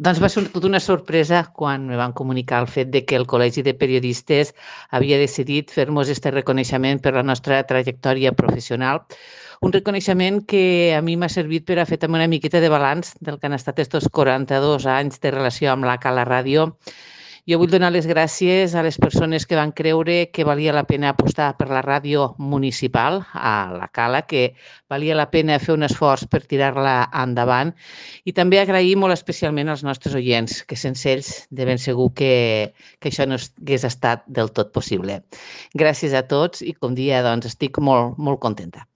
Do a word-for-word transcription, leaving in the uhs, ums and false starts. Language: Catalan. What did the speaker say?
Doncs va ser tota una sorpresa quan me van comunicar el fet de que el Col·legi de Periodistes havia decidit fer-nos aquest reconeixement per la nostra trajectòria professional. Un reconeixement que a mi m'ha servit per a fer també una miqueta de balanç del que han estat aquests quaranta-dos anys de relació amb la Cala Ràdio. Jo vull donar les gràcies a les persones que van creure que valia la pena apostar per la ràdio municipal a la Cala, que valia la pena fer un esforç per tirar-la endavant, i també agrair molt especialment als nostres oients, que sense ells de ben segur que, que això no hagués estat del tot possible. Gràcies a tots i, com dia, doncs, estic molt, molt contenta.